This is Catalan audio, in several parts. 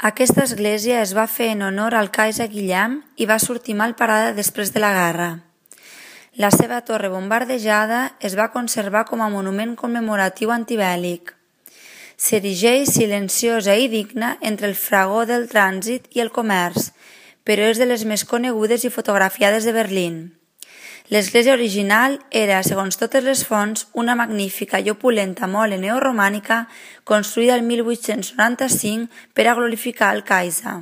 Aquesta església es va fer en honor al Kaiser Guillem i va sortir mal parada després de la guerra. La seva torre bombardejada es va conservar com a monument commemoratiu antibèl·lic. S'erigeix silenciosa i digna entre el fragor del trànsit i el comerç, però és de les més conegudes i fotografiades de Berlín. L'església original era, segons totes les fonts, una magnífica i opulenta mole neoromànica construïda el 1895 per a glorificar el Kaiser.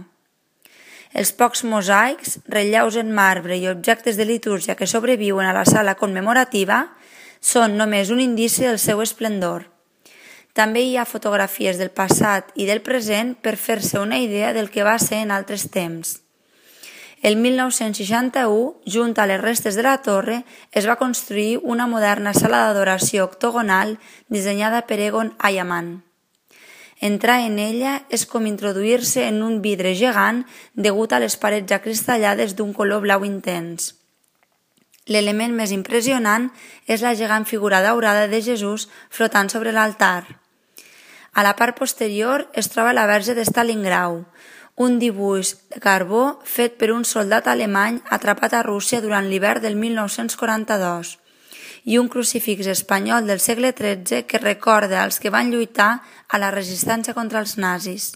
Els pocs mosaics, relleus en marbre i objectes de litúrgia que sobreviuen a la sala commemorativa són només un indici del seu esplendor. També hi ha fotografies del passat i del present per fer-se una idea del que va ser en altres temps. El 1961, junt a les restes de la torre, es va construir una moderna sala d'adoració octogonal dissenyada per Egon Eyaman. Entrar en ella és com introduir-se en un vidre gegant degut a les parets acristallades d'un color blau intens. L'element més impressionant és la gegant figura daurada de Jesús flotant sobre l'altar. A la part posterior es troba la Verge de Stalingrau, un dibuix de carbó fet per un soldat alemany atrapat a Rússia durant l'hivern del 1942 i un crucifix espanyol del segle XIII que recorda als que van lluitar a la resistència contra els nazis.